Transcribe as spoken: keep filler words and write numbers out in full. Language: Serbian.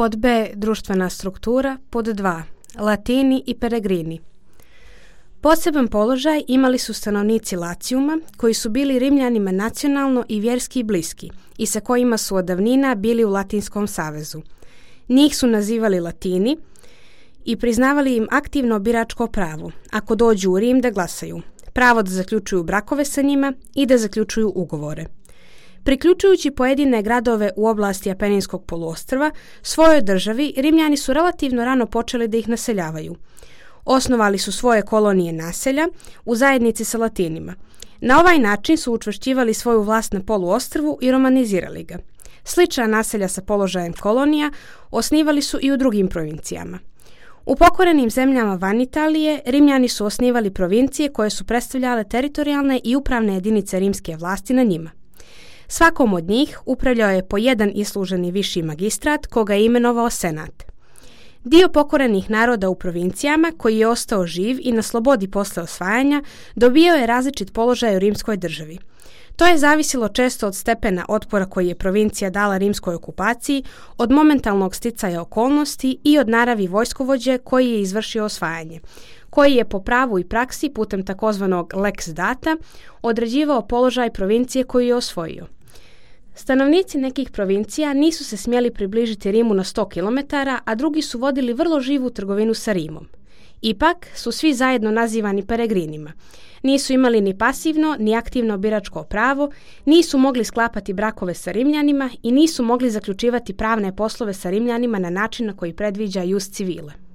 Pod B. Društvena struktura. Pod dva. Latini i Peregrini. Poseban položaj imali su stanovnici Lacijuma, koji su bili Rimljanima nacionalno i vjerski bliski i sa kojima su od davnina bili u Latinskom savezu. Njih su nazivali Latini i priznavali im aktivno biračko pravo, ako dođu u Rim da glasaju, pravo da zaključuju brakove sa njima i da zaključuju ugovore. Priključujući pojedine gradove u oblasti Apeninskog poluostrva svojoj državi, Rimljani su relativno rano počeli da ih naseljavaju. Osnovali su svoje kolonije naselja u zajednici sa Latinima. Na ovaj način su učvršćivali svoju vlast na poluostrvu i romanizirali ga. Slična naselja sa položajem kolonija osnivali su i u drugim provincijama. U pokorenim zemljama van Italije Rimljani su osnivali provincije koje su predstavljale teritorijalne i upravne jedinice rimske vlasti na njima. Svakom od njih upravljao je po jedan isluženi viši magistrat koga je imenovao senat. Dio pokorenih naroda u provincijama, koji je ostao živ i na slobodi posle osvajanja, dobio je različit položaj u rimskoj državi. To je zavisilo često od stepena otpora koji je provincija dala rimskoj okupaciji, od momentalnog sticaja okolnosti i od naravi vojskovođe koji je izvršio osvajanje, koji je po pravu i praksi putem takozvanog lex data određivao položaj provincije koju je osvojio. Stanovnici nekih provincija nisu se smjeli približiti Rimu na sto kilometara, a drugi su vodili vrlo živu trgovinu sa Rimom. Ipak su svi zajedno nazivani peregrinima. Nisu imali ni pasivno, ni aktivno biračko pravo, nisu mogli sklapati brakove sa Rimljanima i nisu mogli zaključivati pravne poslove sa Rimljanima na način na koji predviđa jus civile.